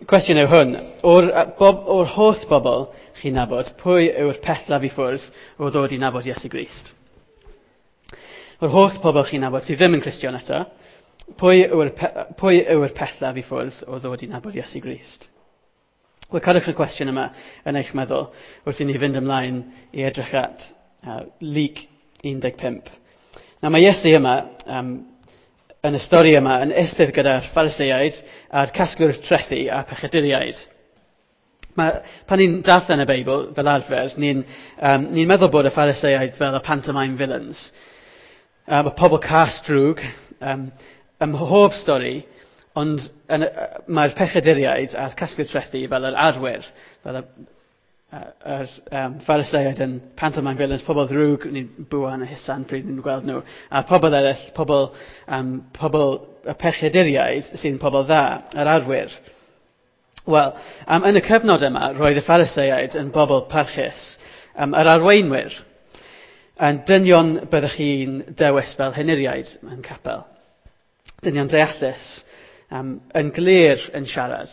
Cwestiwn yw hwn, o'r, bob, o'r holl bobl chi'n nabod, pwy yw'r pellaf i ffwrdd o ddod i nabod Iesu Grist? O'r holl pobl chi'n nabod sydd ddim yn Cristion eto, pwy yw'r, pwy yw'r pellaf i ffwrdd o ddod i nabod Iesu Grist? Wel, cadwch y cwestiwn yma yn eich meddwl wrth i ni fynd ymlaen i edrych at Luc 15. Nawr mae Iesu yma yn y stori yma yn eistedd gyda'r Phariseaid a'r casglwyr trethi a pechaduriaid. Mae, pan ni'n darllen y Beibl, fel arfer, ni'n ni meddwl bod y Phariseaid fel y pantomime villains. Y pobl cas drwg, ym mhob stori, ond mae'r pechaduriaid a'r casglwyr trethi fel yr arwyr, fel y yr Phariseaid yn pantomime villains, pobl ddrwg, ni'n bwan a husan pryd ni'n gweld nhw, a pobl eraill, pobl, pobl y pechaduriaid sy'n pobl dda, yr arwyr. Wel, yn y cyfnod yma, roedd y Phariseaid yn bobl parchus, yr arweinwyr, yn dynion byddwch chi'n dewis fel henuriaid yn capel. Dynion deallus, yn glir yn siarad,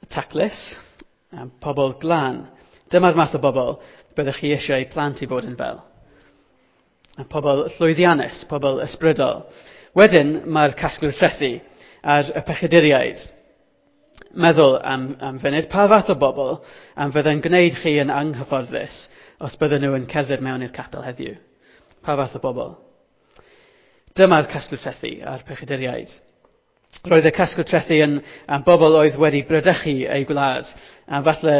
taclus, pobl glân. Dyma'r math o bobl byddwch chi eisiau plant i fod yn fel. Pobl llwyddiannus, pobl ysbrydol. Wedyn mae'r casglwyr trethi a'r y pechaduriaid. Meddwl am, am funud, pa fath o bobl am fydde'n gwneud chi yn anghyfforddus os bydden nhw yn cerdded mewn i'r capel heddiw? Pa fath o bobl? Dyma'r casglwyr trethi a'r pechaduriaid. Roedd y casglwyr trethi yn am bobl oedd wedi brydychu eu gwlad, a falle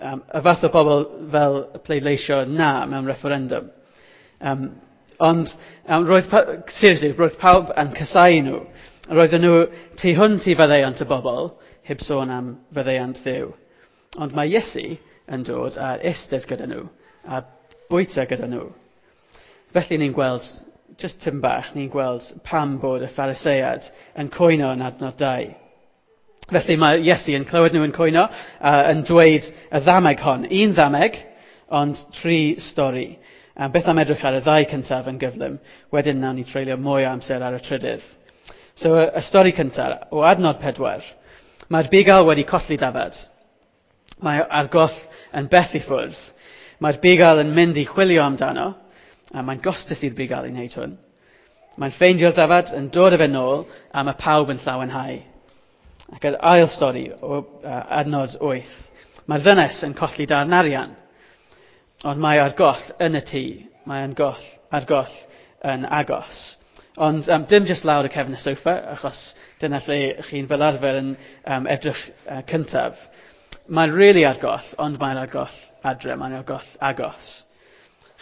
y fath o bobl fel pleidleisio na mewn referendum. Ond roedd, seriously, roedd pawb yn casau nhw. Roedden nhw tu hwnt i faddeuant y bobl, heb sôn am faddeuant Dduw. Ond mae Iesu yn dod a eistedd gyda nhw, a bwyta gyda nhw. Felly ni'n gweld, just tym bach, ni'n gweld pam bod y Pharisead yn cwyno yn adnod 2. Felly mae Iesu yn clywed nhw yn cwyno a yn dweud y ddameg hon. Un ddameg, ond tri stori. A beth am edrych ar y ddau cyntaf yn gyflym, wedyn nawn ni treulio mwy o amser ar y trydydd. So y, y stori cyntaf, o adnod 4, mae'r bugail wedi colli dafad. Mae ar goll yn bell i ffwrdd. Mae'r bugail yn mynd i chwilio amdano, a mae'n gostus i'r bugail i wneud hwn. Mae'n ffeindio'r dafad, yn dod â fe nôl, a mae pawb yn llawenhau. Ac yr ail stori o adnod 8. Mae'r ddynes yn colli darn arian, ond mae ar goll yn y tŷ. Mae yn goll, ar goll yn agos. Ond dim jyst lawr y cefn y soffa, achos dyna lle chi'n fel arfer yn edrych cyntaf. Mae'n really ar goll, ond mae'n ar goll adre, mae'n ar goll agos.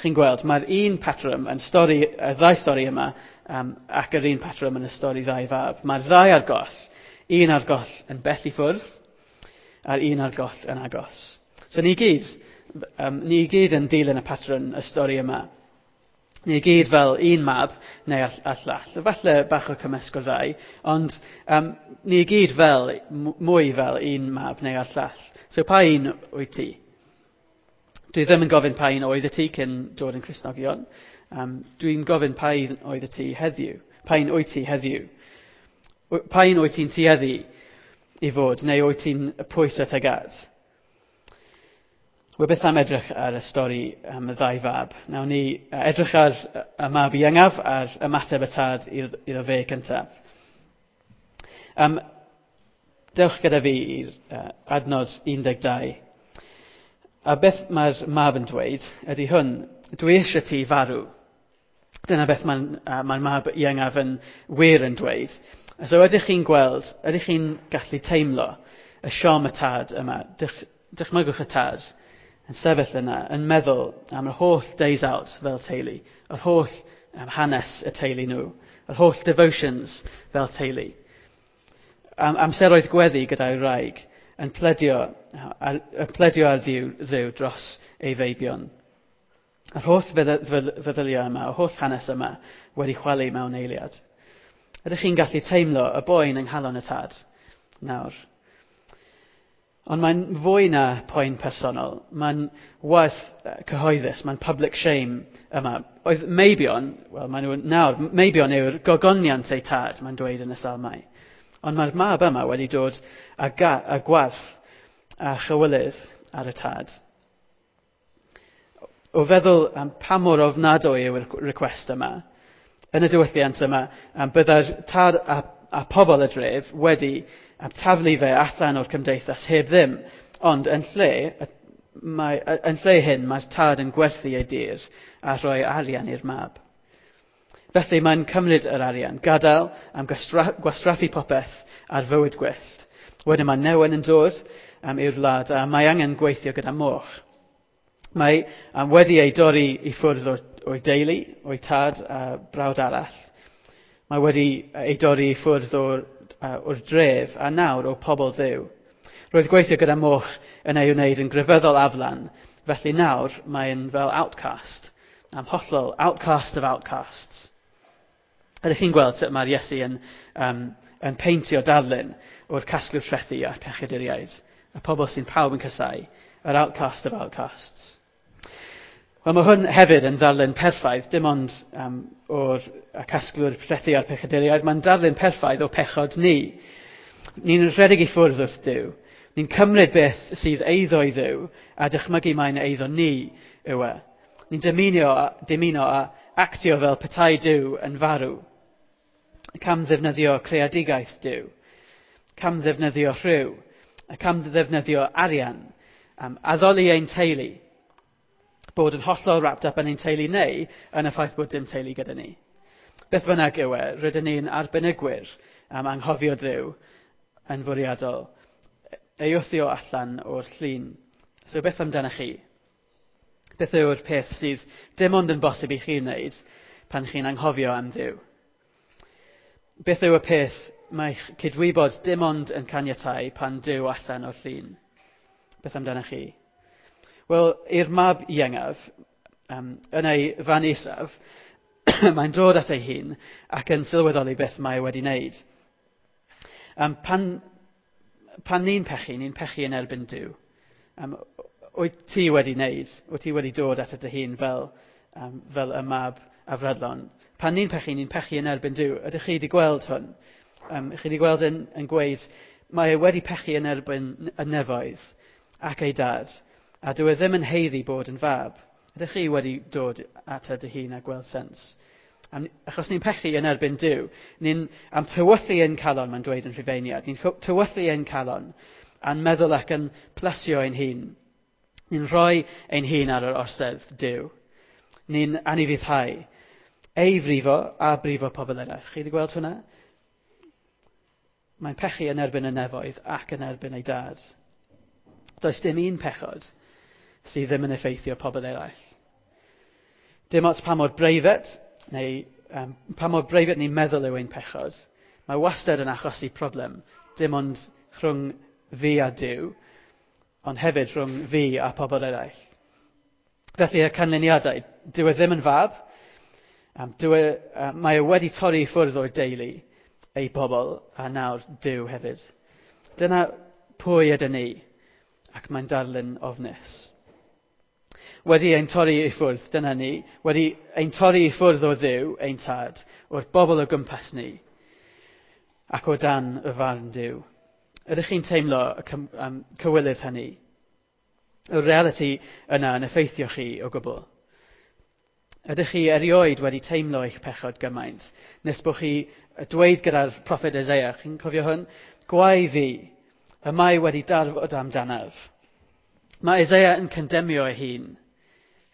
Chi'n gweld, mae'r un patrwm yn stori, y ddau stori yma, ac yr un patrwm yn y stori ddau fab. Mae'r ddau ar goll, un ar goll yn bell i ffwrdd, a'r un ar goll yn agos. So ni gyd, ni gyd yn dilyn y patrwm y stori yma. Ni gyd fel un mab neu a llall. Falle bach o cymysg o'r ddau, ond ni gyd fel, mwy fel un mab neu a'r llall. So pa un wyt ti? Dwi ddim yn gofyn pa un oedd y ti cyn dod yn Cristnogion. Dwi'n gofyn pa un oedd y ti heddiw. Pa un wyt ti heddiw? Pa un wyt ti'n tueddu i fod, neu wyt ti'n pwyso tuag at? Wel, beth am edrych ar y stori am y ddau fab? Nawn ni edrych ar y mab iengaf a'r ymateb y tad iddo fe cyntaf. Dewch gyda fi i'r adnod 12. A beth mae'r mab yn dweud ydy hwn, dwi eisiau ti farw. Dyna beth mae'n mae mab iengaf yn wir yn dweud. So ydych chi'n gweld, ydych chi'n gallu teimlo y siom y tad yma, Dych, dychmygwch y tad yn sefyll yna, yn meddwl am yr holl days out fel teulu, yr holl hanes y teulu nhw, yr holl devotions fel teulu. Am, amseroedd gweddi gyda'i wraig yn pledio, ar, yn pledio ar Dduw, Dduw dros ei feibion. Yr holl feddyliau yma, yr holl hanes yma wedi chwalu mewn eiliad. Ydych chi'n gallu teimlo y boen yng nghalon y tad nawr? Ond mae'n fwy na poen personol. Mae'n waith cyhoeddus, mae'n public shame yma. Oedd meibion, wel maen nhw nawr, meibion yw'r gogoniant eu tad, mae'n dweud yn y salmau. Ond mae'r mab yma wedi dod â, a gwarth a chywilydd ar y tad. O feddwl am pa mor ofnadwy yw'r request yma, yn y diwylliant yma, byddai'r tad a pobl y dref wedi taflu fe allan o'r cymdeithas heb ddim. Ond yn lle hyn, mae'r tad yn gwerthu ei dir a rhoi arian i'r mab. Felly mae'n cymryd yr arian, gadael am gwastraffu popeth ar fywyd gwyllt. Wedyn mae newyn yn dod i'r wlad a mae angen gweithio gyda moch. Mae wedi ei dorri i ffwrdd o'i deulu, o'i tad a brawd arall. Mae wedi ei dorri i ffwrdd o'r dref a nawr o pobl Dduw. Roedd gweithio gyda moch yn ei wneud yn grefyddol aflan, felly nawr mae'n fel outcast, am hollol outcast of outcasts. Ydych chi'n gweld sut mae'r Iesu yn peintio darlun o'r casglwr trethi a'r pechaduriaid, y pobl sy'n pawb yn casáu, yr outcast of outcasts? Wel, mae hwn hefyd yn ddarlun perffaith, dim ond o'r casglwr trethi a'r pechaduriaid, mae'n darlun perffaith o pechod ni. Ni'n rhedeg i ffwrdd wrth Duw. Ni'n cymryd beth sydd eiddo i Dduw a dychmygu mae'n eiddo ni yw e. Ni'n dymuno a actio fel petai Duw yn farw. Cam ddefnyddio creadigaeth Duw. Cam ddefnyddio rhyw. Cam ddefnyddio arian. Addoli ein teulu. Bod yn hollol wrapped up yn ein teulu neu yn y ffaith bod dim teulu gyda ni. Beth bynnag yw e, rydyn ni'n arbenigwyr am anghofio Dduw yn fwriadol. Ei wthio allan o'r llun. So beth amdanoch chi? Beth yw'r peth sydd dim ond yn bosib i chi wneud pan chi'n anghofio am Dduw? Beth yw y peth mae'ch cydwybod dim ond yn caniatau pan Duw allan o'r llun? Beth amdanoch chi? Wel, i'r mab iengaf, yn ei fan isaf, mae'n dod at ei hun ac yn sylweddoli beth mae wedi wneud. Pan ni'n pechu, ni'n pechu yn erbyn Duw. Wyt ti wedi wneud, wyt ti wedi dod at dy hun fel y mab afradlon? Pan ni'n pechu, ni'n pechu yn erbyn Duw. Ydych chi wedi gweld hwn? Chi wedi gweld yn gweud, mae e wedi pechu yn erbyn y nefoedd ac ei dad, a dyw e ddim yn haeddu bod yn fab. Ydych chi wedi dod at dy hun a gweld sens? Achos ni'n pechu yn erbyn Duw. Ni'n am tywyllu ein calon, mae'n dweud yn Rhufeiniad. Ni'n tywyllu ein calon a'n meddwl ac yn plesio ein hun. Ni'n rhoi ein hun ar yr orsedd Duw. Ni'n anufuddhau. Ei frifo a brifo pobl eraill. Chi wedi gweld hwnna? Mae'n pechu yn erbyn y nefoedd ac yn erbyn ei dad. Does dim un pechod sydd ddim yn effeithio pobl eraill. Dim ots pa mor breifat, neu pa mor breifat ni'n meddwl yw ein pechod, mae wastad yn achosi problem, dim ond rhwng fi a Duw, ond hefyd rhwng fi a pobl eraill. Felly y canlyniadau, dyw e ddim yn fab, mae e wedi torri i ffwrdd o'r deulu, ei bobl, a nawr Duw hefyd. Dyna pwy ydyn ni, ac mae'n darlun ofnus. Wedi ein torri i ffwrdd, dyna ni, wedi ein torri i ffwrdd o Dduw, ein tad, o'r bobl o gwmpas ni, ac o dan y farn Duw. Ydych chi'n teimlo y cywilydd hynny? Y reality yna yn effeithio chi o gwbl? Ydych chi erioed wedi teimlo eich pechod gymaint, nes bod chi dweud gyda'r proffwyd Isaiah, chi'n cofio hwn? Gwae fi, y mae wedi darfod amdanaf. Mae Isaiah yn condemio ei hun.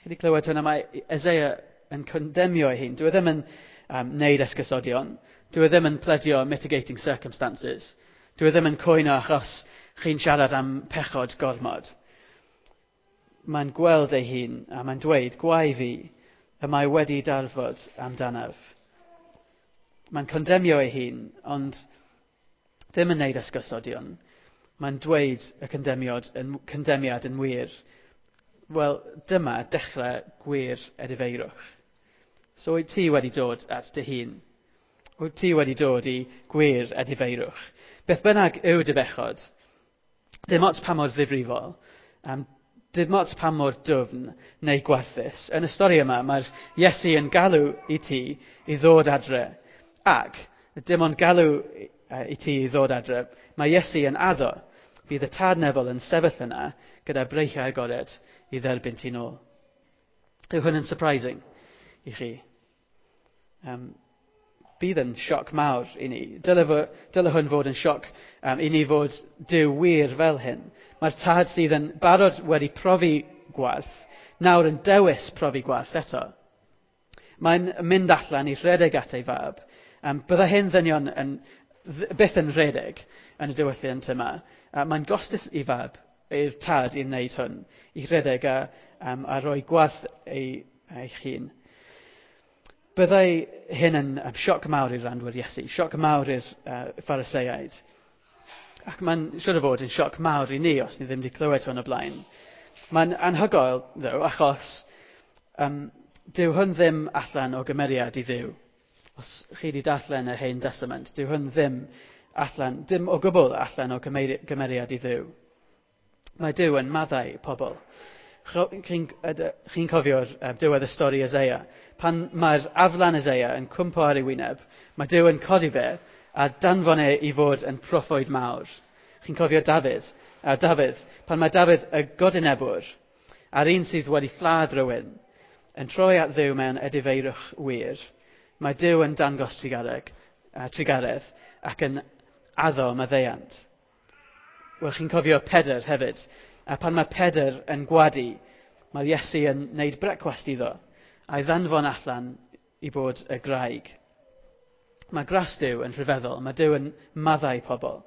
Chi wedi clywed hwnna? Mae Isaiah yn condemio ei hun. Dyw e ddim yn neud esgusodion. Dyw e ddim yn pledio mitigating circumstances. Dyw e ddim yn cwyno achos chi'n siarad am pechod gormod. Mae'n gweld ei hun a mae'n dweud, gwae fi, y mae wedi darfod amdanaf. Mae'n condemio ei hun, ond ddim yn neud esgusodion. Mae'n dweud y condemiad yn wir. Wel, dyma dechrau gwir edifeirwch. So wyt ti wedi dod at dy hun? Wyt ti wedi dod i gwir edifeirwch? Beth bynnag yw dy bechod, dim ots pa mor ddifrifol, dim ots pa mor dwfn neu gwarthus. Yn y stori yma, mae'r Iesu yn galw i ti i ddod adre. Ac dim ond galw i ti ddod adre, mae Iesu yn addo. Bydd y tad nefol yn sefyll yna gyda breichiau agored i dderbyn ti nôl. Yw hwn yn surprising i chi? Bydd yn sioc mawr i ni. Dyle hwn fod yn sioc i ni fod Duw wir fel hyn. Mae'r tad sydd yn barod wedi profi gwarth, nawr yn dewis profi gwarth eto. Mae'n mynd allan i rhedeg at ei fab. Bydda hyn ddynion byth yn rhedeg yn y diwylliant yma. Mae'n gostus i fab, i'r tad i wneud hwn, i rhedeg a rhoi gwarth eich hun. Byddai hyn yn sioc mawr i'r randwyr Iesu, sioc mawr i'r Phariseaid. Ac mae'n siŵr o fod yn sioc mawr i ni os ni ddim wedi clywed hwn o blaen. Mae'n anhygoel, ddo, achos dyw hwn ddim allan o gymeriad i Dduw. Os chi wedi darllen yr Hen Testament, dyw hwn ddim allan, dim o gwbl allan o gymeriad i Dduw. Mae Duw yn maddau pobl. Chi'n cofio'r diwedd y stori Isaiah. Pan mae'r aflan Isaiah yn cwmpo ar ei wyneb, mae Duw yn codi fe a danfon e i fod yn proffwyd mawr. Chi'n cofio Dafydd? Dafydd, pan mae Dafydd y godinebwr, a'r un sydd wedi lladd rhywun, yn troi at Dduw mewn edifeirwch wir, mae Duw yn dangos trugaredd ac yn addo maddeuant. Wel, chi'n cofio Pedr hefyd. A pan mae Pedr yn gwadu, mae Iesu yn wneud brecwast iddo, a'i ddanfon allan i bod y graig. Mae gras Duw yn rhyfeddol, mae Duw yn maddau pobl.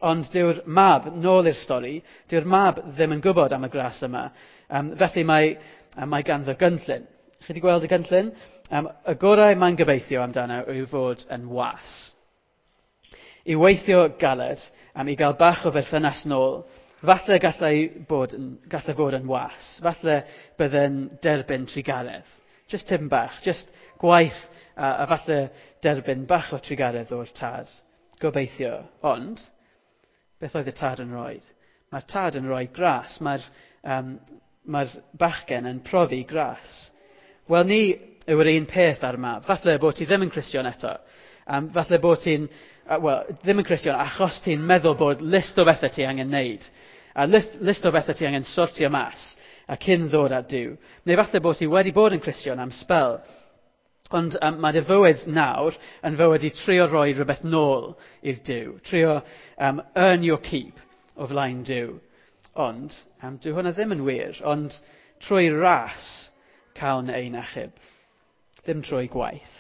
Ond dyw'r mab, nôl i'r stori, dyw'r mab ddim yn gwybod am y gras yma. Felly mae ganddo gynllun. Chi wedi gweld y gynllun? Y gorau mae'n gobeithio amdano yw fod yn was. I weithio galed, i gael bach o berthynas nôl, falle gallai fod yn was. Falle bydde'n derbyn trugaredd. Just tipyn bach, just gwaith a falle derbyn bach o trugaredd o'r tad. Gobeithio. Ond, beth oedd y tad yn rhoi? Mae'r tad yn rhoi gras. Mae'r bachgen yn profi gras. Wel, ni yw'r un peth ar mab. Falle bod ti ddim yn Cristion eto. Falle bod ti'n, well, ddim yn Cristion achos ti'n meddwl bod list o bethau ti angen wneud. A list o bethau ti angen sortio mas a cyn ddod at Duw. Neu falle bod ti wedi bod yn Cristion am sbel. Ond mae dy fywyd nawr yn fywyd i trio rhoi rhywbeth nôl i'r Duw. Trio earn your keep o flaen Duw. Ond, dyw hwnna ddim yn wir, ond trwy ras cawn ein achub. Ddim trwy gwaith.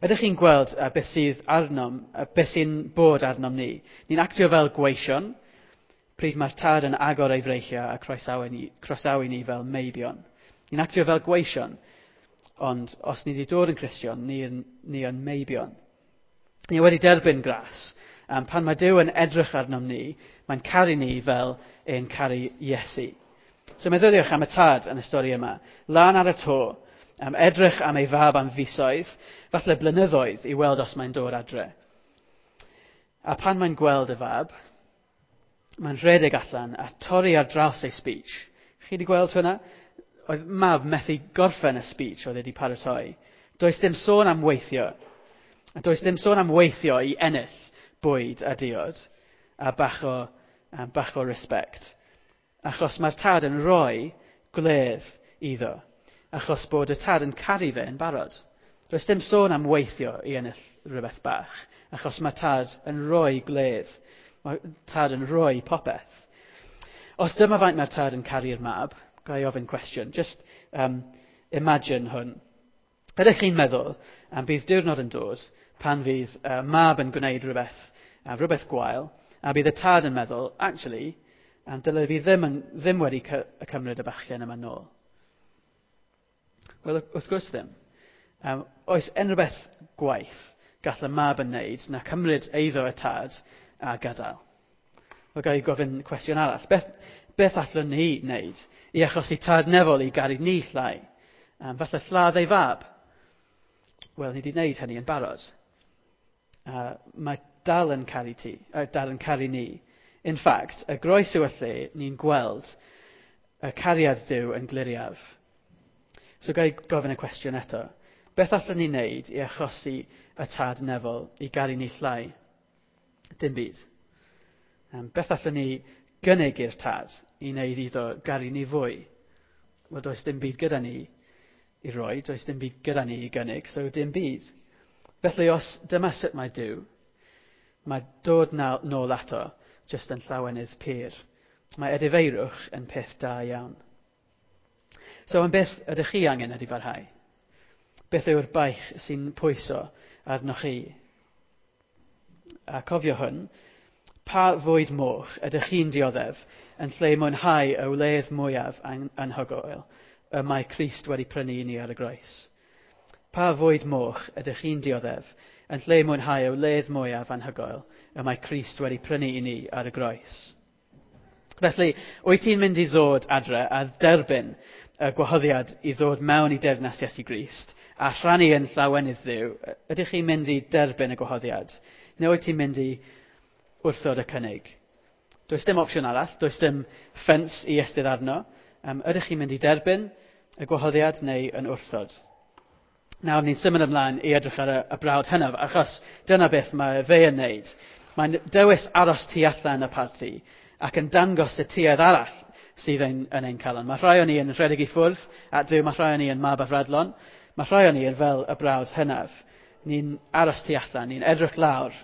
Ydych chi'n gweld beth sydd arnom, beth sy'n bod arnom ni? Ni'n actio fel gweision, pryd mae'r tad yn agor ei freichiau a croesawu ni fel meibion. Ni'n actio fel gweision, ond os ni wedi dod yn Cristion, ni yn meibion. Ni wedi derbyn gras. Pan mae Duw yn edrych arnom ni, mae'n caru ni fel e'n caru Iesu. So meddyliwch am y tad yn y stori yma. Lan ar y to, edrych am ei fab am fisoedd, falle blynyddoedd i weld os mae'n dod adre. A pan mae'n gweld y fab, mae'n rhedeg allan a torri ar draws ei speech. Chi wedi gweld hwnna? Oedd mab methu gorffen y speech oedd wedi paratoi. Does dim sôn am weithio. A does dim sôn am weithio i ennill bwyd a diod a bach o respect. Achos mae'r tad yn rhoi gwledd iddo. Achos bod y tad yn caru fe yn barod. Does dim sôn am weithio i ennill rhywbeth bach. Achos mae tad yn rhoi gwledd. Mae tad yn rhoi popeth. Os dyma faint mae'r tad yn caru'r mab, ga i ofyn cwestiwn. Just imagine hwn. Ydych chi'n meddwl am bydd diwrnod yn dod pan fydd mab yn gwneud rhywbeth gwael, a bydd y tad yn meddwl, actually, dyle fi ddim wedi cymryd y bachgen yma nôl. Wel, wrth gwrs ddim. Oes unrhyw beth gwaith gall y mab yn wneud na cymryd eiddo y tad a gadael? Wel, ga i gofyn cwestiwn arall. Beth allwn ni wneud i achosi tad nefol i garu ni llai? Falle lladd ei fab? Wel, ni wedi wneud hynny yn barod. Mae dal yn caru ti, dal yn caru ni. In fact, y groes yw y lle ni'n gweld y cariad Duw yn gliriaf. So ga i gofyn y cwestiwn eto. Beth allwn ni wneud i achosi y tad nefol i garu ni llai? Dim byd. Beth allwn ni gynnig i'r tad i wneud iddo garu ni fwy? Wel, does dim byd gyda ni i roi, does dim byd gyda ni i gynnig, so dim byd. Felly os dyma sut mae Duw, mae dod nôl ato jyst yn llawenydd pur. Mae edifeirwch yn peth da iawn. So am beth ydych chi angen edifarhau? Beth yw'r baich sy'n pwyso arnoch chi? A cofio hwn, pa fwyd moch ydych chi'n dioddef yn lle mwynhau y wledd mwyaf anhygoel y mae Crist wedi prynu i ni ar y groes? Pa fwyd moch ydych chi'n dioddef yn lle mwynhau y wledd mwyaf anhygoel y mae Crist wedi prynu i ni ar y groes? Felly, wyt ti'n mynd i ddod adre a derbyn y gwahoddiad i ddod mewn i deyrnas Iesu Grist a rhannu yn llawenydd Dduw? Ydych chi'n mynd i derbyn y gwahoddiad? Neu wyt ti'n mynd i wrthod y cynnig? Does dim opsiwn arall, does dim ffens i estydd arno. Ydych chi'n mynd i derbyn y gwahoddiad neu yn wrthod? Nawr ni'n symud ymlaen i edrych ar y brawd hynaf, achos dyna beth mae fe yn wneud. Mae'n dewis aros tu allan y parti ac yn dangos y tuedd arall sydd yn ein calon. Mae rhai o'n ni yn rhedeg i ffwrdd at Dduw, mae rhai o'n ni yn mab afradlon, mae rhai o'n ni yn fel y brawd hynaf. Ni'n aros tu allan, ni'n edrych lawr,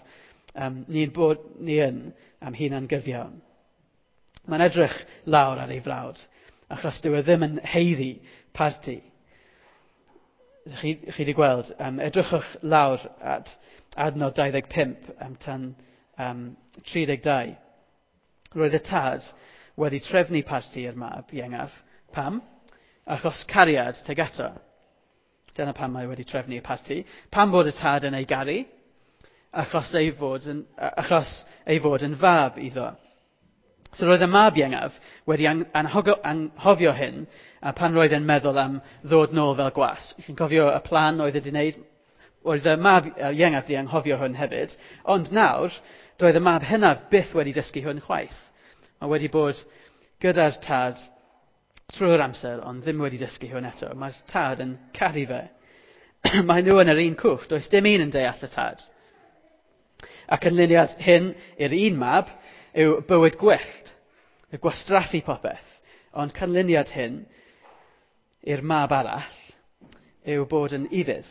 ni'n bod ni yn am hunan gyfiawn. Mae'n edrych lawr ar ei frawd, achos dyw e ddim yn haeddu parti. Chi wedi gweld, edrychwch lawr at adnod 25 tan 32. Roedd y tad wedi trefnu parti i'r mab iengaf. Pam? Achos cariad tuag ato. Dyna pam mae wedi trefnu y parti. Pam bod y tad yn ei garu? Achos ei fod yn fab iddo. So roedd y mab iengaf wedi anghofio hyn a pan roedd e'n meddwl am ddod nôl fel gwas. Chi'n cofio y plan oedd wedi wneud? Roedd y mab iengaf wedi anghofio hwn hefyd. Ond nawr, doedd y mab hynaf byth wedi dysgu hwn chwaith. Mae wedi bod gyda'r tad trwy'r amser, ond ddim wedi dysgu hwn eto. Mae'r tad yn caru fe. Mae nhw yn yr un cwch, does dim un yn deall y tad. Ac canlyniad hyn i'r un mab yw bywyd gwyllt, y gwastraffu popeth. Ond canlyniad hyn i'r mab arall yw bod yn ufudd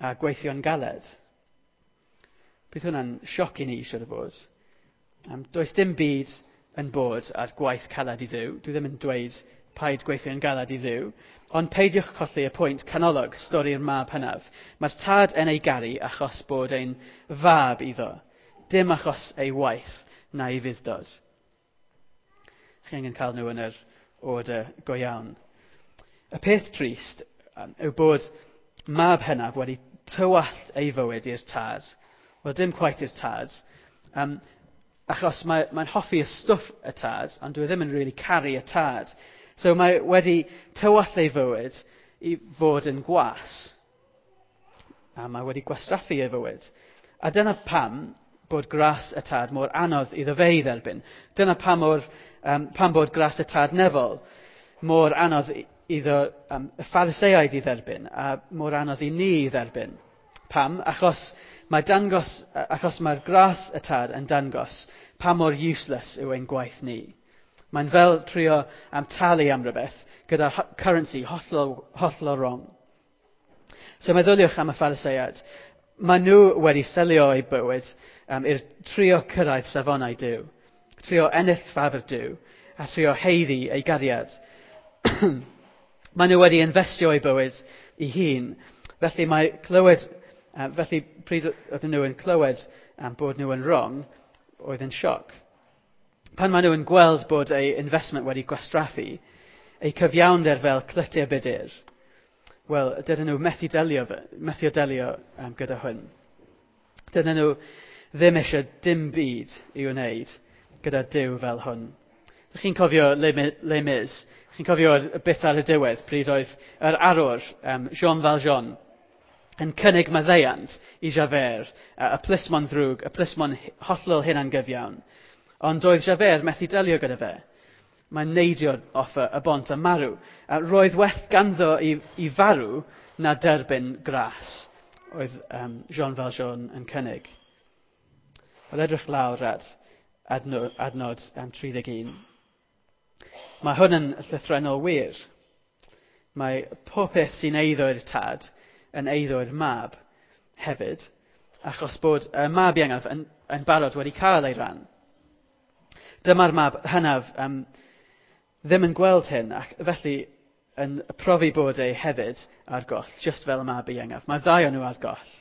a gweithio'n galed. Bydd hwnna'n sioc i ni, siŵr o fod. Does dim byd yn bod ar gwaith caled i Dduw. Dwi ddim yn dweud paid gweithio'n galed i Dduw, ond peidiwch colli y pwynt canolog, stori'r mab hynaf. Mae'r tad yn ei garu achos bod ein fab iddo, dim achos ei waith na'i fudd-dod. Chi angen cael nhw yn yr order go iawn. Y peth trist yw bod mab hynaf wedi tywallt ei fywyd i'r tad. Wel, dim quite i'r tad, achos mae'n hoffi y stwff y tad, ond dwi ddim yn really caru y tad. So mae wedi tywallt ei fywyd i fod yn gwas. A mae wedi gwastraffu ei fywyd. A dyna pam bod gras y tad mor anodd iddo fe i dderbyn. Dyna pam bod gras y tad nefol mor anodd iddo y Phariseaid i dderbyn a mor anodd i ni i dderbyn. Pam? Achos mae'r gras y tad yn dangos pa mor useless yw ein gwaith ni. Mae'n fel trio am talu am rhywbeth gyda currency hollol wrong. So meddyliwch am y Phariseaid. Mae nhw wedi selio eu bywyd i'r trio cyrraedd safonau Duw, trio ennill ffafr Duw a trio haeddu ei gariad. Mae nhw wedi investio eu bywyd i hun. Felly mae clywed, felly pryd oedden nhw yn clywed bod nhw yn wrong, oedd yn sioc. Pan maen nhw yn gweld bod eu investment wedi gwastraffu, eu cyfiawnder fel clytiau budur, wel, dydyn nhw methu delio gyda hwn. Dydyn nhw ddim eisiau dim byd i'w wneud gyda Duw fel hwn. Chi'n cofio Les Mis? Chi'n cofio y bit ar y diwedd pryd oedd yr arwr, Jean Valjean, yn cynnig maddeuant i Javert, y plismon ddrwg, y plismon hollol hunangyfiawn. Ond doedd Javert methu delio gyda fe. Mae'n neidio off y bont a marw. A roedd well ganddo i farw na derbyn gras, oedd Jean Valjean yn cynnig. Wel, edrych lawr at adnod 31. Mae hwn yn llythrennol wir. Mae popeth sy'n eiddo i'r tad yn eiddo i'r mab hefyd, achos bod y mab iengaf yn barod wedi cael ei ran. Dyma'r mab hynaf ddim yn gweld hyn, ac felly yn profi bod e hefyd ar goll, just fel y mab iengaf. Mae ddau o'n nhw ar goll.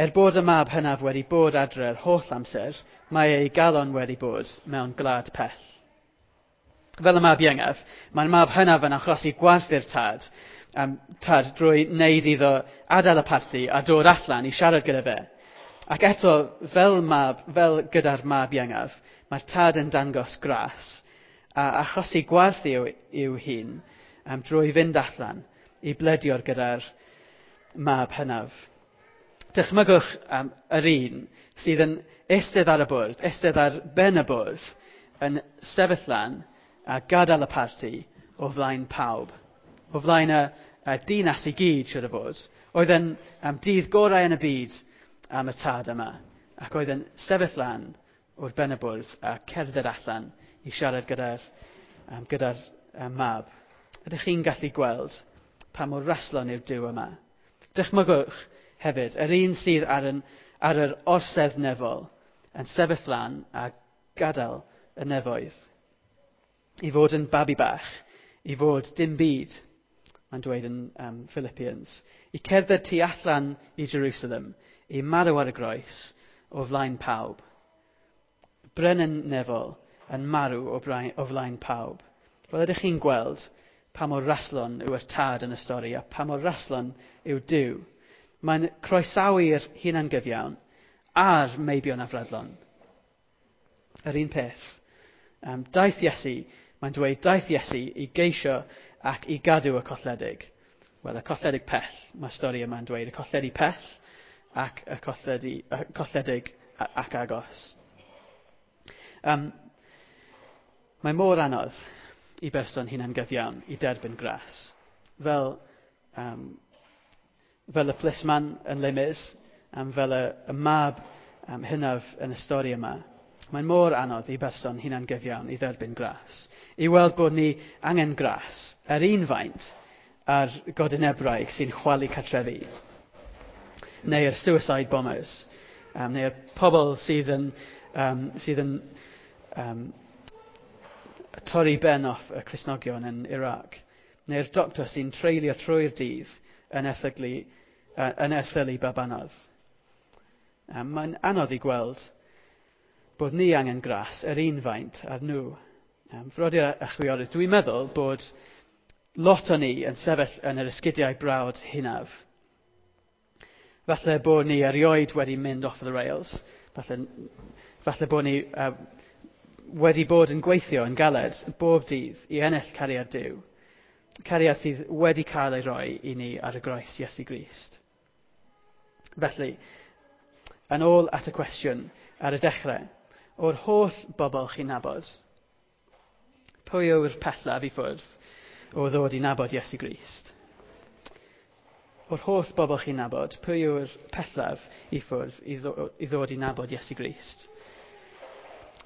Er bod y mab hynaf wedi bod adre'r holl amser, mae ei galon wedi bod mewn gwlad pell. Fel y mab iengaf, mae'r mab hynaf yn achosi gwarth i'r tad drwy wneud iddo adael y parti a dod allan i siarad gyda fe. Ac eto, fel gyda'r mab iengaf, mae'r tad yn dangos gras a achosi gwarth i'w hun drwy fynd allan i bledio'r gyda'r mab hynaf. Dychmygwch yr un sydd yn eistedd ar y bwrdd, eistedd ar ben y bwrdd, yn sefyll lan a gadael y parti o flaen pawb. O flaen y dinas i gyd, siwr o fod. Oedd yn dydd gorau yn y byd am y tad yma. Ac oedd yn sefyll lan o'r ben y bwrdd a cerdded allan i siarad gyda'r mab. Ydych chi'n gallu gweld pa mor raslon yw'r Duw yma? Dychmygwch hefyd, yr un sydd ar yr orsedd nefol yn sefyll lan a gadael y nefoedd. I fod yn babi bach, i fod dim byd, mae'n dweud yn Philippians, i cerdded tu allan i Jerusalem, i marw ar y groes o flaen pawb. Brenin nefol yn marw o flaen pawb. Wel, ydych chi'n gweld pa mor raslon yw'r tad yn y stori a pa mor raslon yw Duw. Mae'n croesawu'r hunangyfiawn a'r meibion afradlon. Yr un peth. Daeth Iesu, mae'n dweud, daeth Iesu i geisio ac i gadw y colledig. Wel, y colledig pell, mae'r stori yma'n dweud, y colledig pell ac y colledig ac agos. Mae mor anodd i berson hunangyfiawn i derbyn gras. Fel y plisman yn Les Mis, fel y mab hynaf yn y stori yma. Mae'n mor anodd i berson hunangyfiawn i dderbyn gras. I weld bod ni angen gras yr un faint ar godinebraig sy'n chwalu cartrefi. Neu'r suicide bombers. Neu'r pobl sydd yn torri ben off y Cristnogion yn Iraq. Neu'r doctor sy'n treulio trwy'r dydd yn erthylu babanod. Mae'n anodd i gweld bod ni angen gras yr un faint ar nhw. Frodyr a chwiorydd, dwi'n meddwl bod lot o ni yn sefyll yn yr esgidiau brawd hynaf. Falle bod ni erioed wedi mynd off the rails. Falle bod ni wedi bod yn gweithio yn galed bob dydd i ennill cariad Duw. Cariad sydd wedi cael ei roi i ni ar y groes Iesu Grist. Felly, yn ôl at y cwestiwn ar y dechrau, o'r holl bobl chi'n nabod, pwy yw'r pellaf i ffwrdd o ddod i nabod Iesu Grist? O'r holl bobl chi'n nabod, pwy yw'r pellaf i ffwrdd i ddod i nabod Iesu Grist?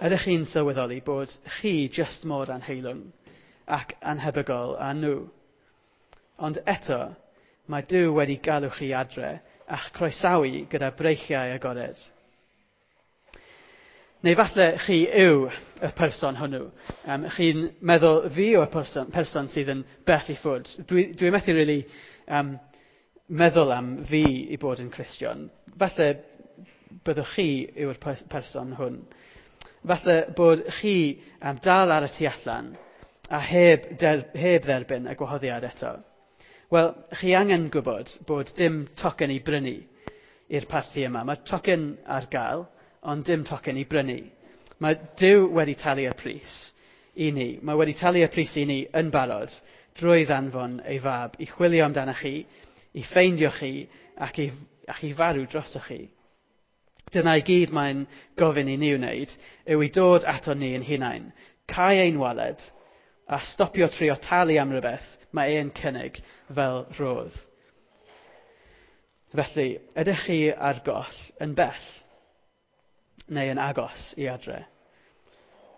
Ydych chi'n sylweddoli bod chi jyst mor anheilwng ac anhebygol â nhw? Ond eto, mae Duw wedi galw chi adre a'ch croesawu gyda breichiau agored. Neu falle chi yw y person hwnnw. Chi'n meddwl fi yw'r person sydd yn bell i ffwrdd. Dwi methu really meddwl am fi i bod yn Cristion. Falle byddwch chi yw'r person hwn. Falle bod chi dal ar y tu allan a heb dderbyn y gwahoddiad eto. Wel, chi angen gwybod bod dim tocyn i brynu i'r parti yma. Mae tocyn ar gael, ond dim tocyn i brynu. Mae Duw wedi talu y pris i ni. Mae wedi talu y pris i ni yn barod drwy ddanfon ei fab i chwilio amdanoch chi, i ffeindio chi ac i farw drosoch chi. Dyna i gyd mae'n gofyn i ni wneud yw i dod ato ni yn hunain, cau ein waled a stopio trio talu am rhywbeth mae e'n cynnig fel rhodd. Felly, ydych chi ar goll yn bell? Neu yn agos i adre.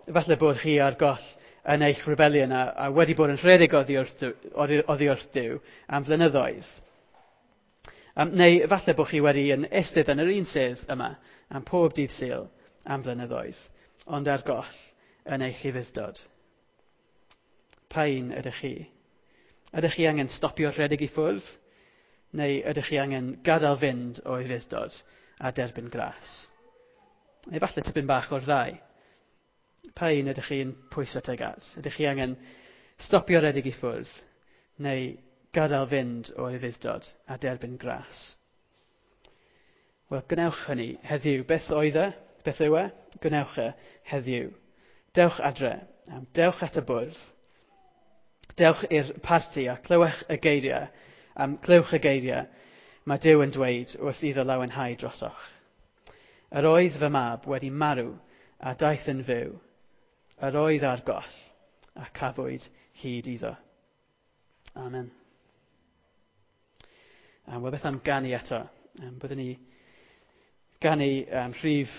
Efallai bod chi ar goll yn eich rebellion a wedi bod yn rhedeg oddi wrth Duw am flynyddoedd. Neu efallai bod chi wedi yn eistedd yn yr un sedd yma am pob dydd Sul am flynyddoedd, ond ar goll yn eich ufudd-dod. Pa un ydych chi? Ydych chi angen stopio rhedeg i ffwrdd? Neu ydych chi angen gadael fynd o ufudd-dod a derbyn gras? Neu falle tipyn bach o'r ddau. Pa un ydych chi'n pwyso tuag at? Ydych chi angen stopio rhedeg i ffwrdd? Neu gadael fynd o ufudd-dod a derbyn gras? Wel, gwnewch hynny heddiw. Beth oedd e? Beth yw e? Gwnewch e heddiw. Dewch adre. Dewch at y bwrdd. Dewch i'r parti a clywch y geiriau. Clywch y geiriau mae Duw yn dweud wrth iddo lawenhau drosoch. Yr oedd fy mab wedi marw a daeth yn fyw. Yr oedd ar goll a cafwyd hyd iddo. Amen. Wel, beth am ganu eto? Byddwn ni ganu rhif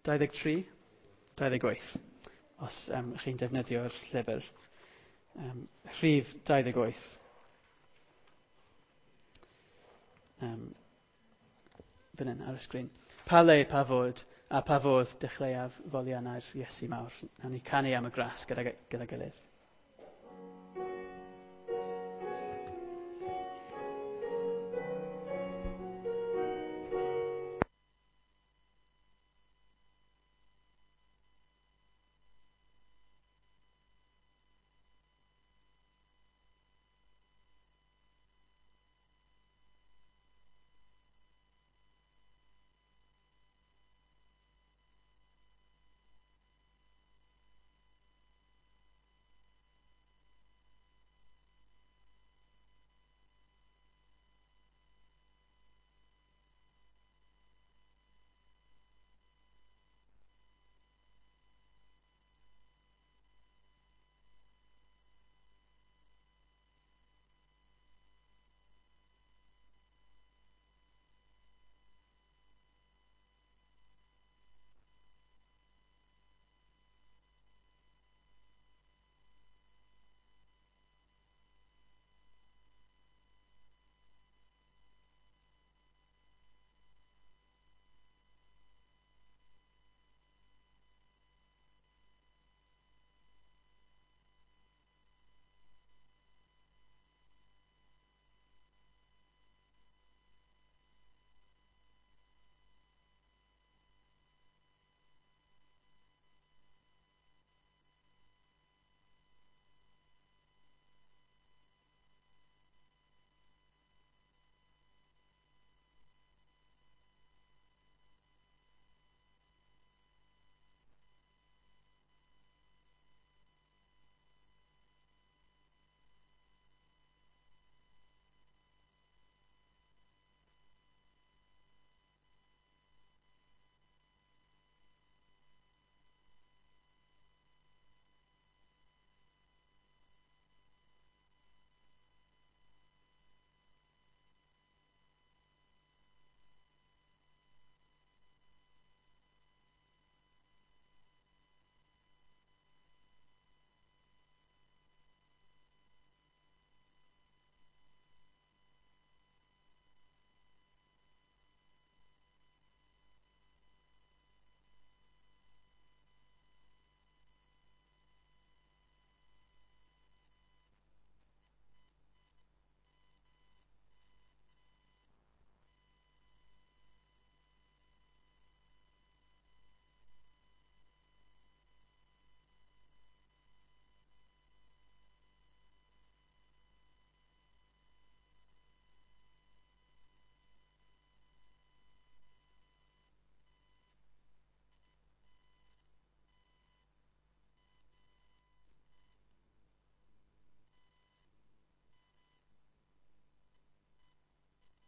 23, 28, os chi'n defnyddio'r llyfr. Rhif 28. Fan hyn ar y sgrin. Pa le, pa fod, a pa fodd dechreuaf foliannau'r Iesu mawr. Nawn ni canu am y gras gyda gilydd.